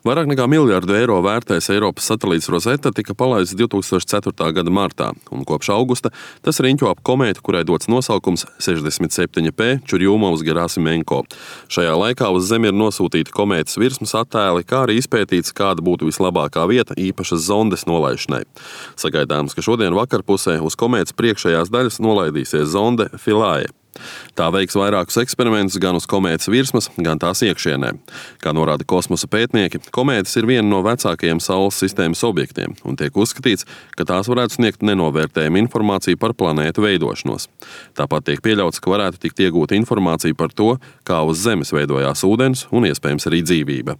Vairāk nekā miljardu eiro vērtais Eiropas satelīts Rosetta tika palaists 2004. gada martā, un kopš augusta tas riņķo ap komētu, kurai dots nosaukums 67P Čurjūmovs-Gerasimenko. Šajā laikā uz Zemi ir nosūtīti komētas virsmas attēli, kā arī izpētīts, kāda būtu vislabākā vieta īpašas zondes nolaišanai. Sagaidāms, ka šodien vakarpusē uz komētas priekšējās daļas nolaidīsies zonde Philae. Tā veiks vairākus eksperimentus gan uz komētas virsmas, gan tās iekšienē. Kā norāda kosmosa pētnieki, komētas ir viena no vecākajiem Saules sistēmas objektiem, un tiek uzskatīts, ka tās varētu sniegt nenovērtējumu informāciju par planētu veidošanos. Tāpat tiek pieļauts, ka varētu tikt iegūta informācija par to, kā uz Zemes veidojās ūdens un iespējams arī dzīvība.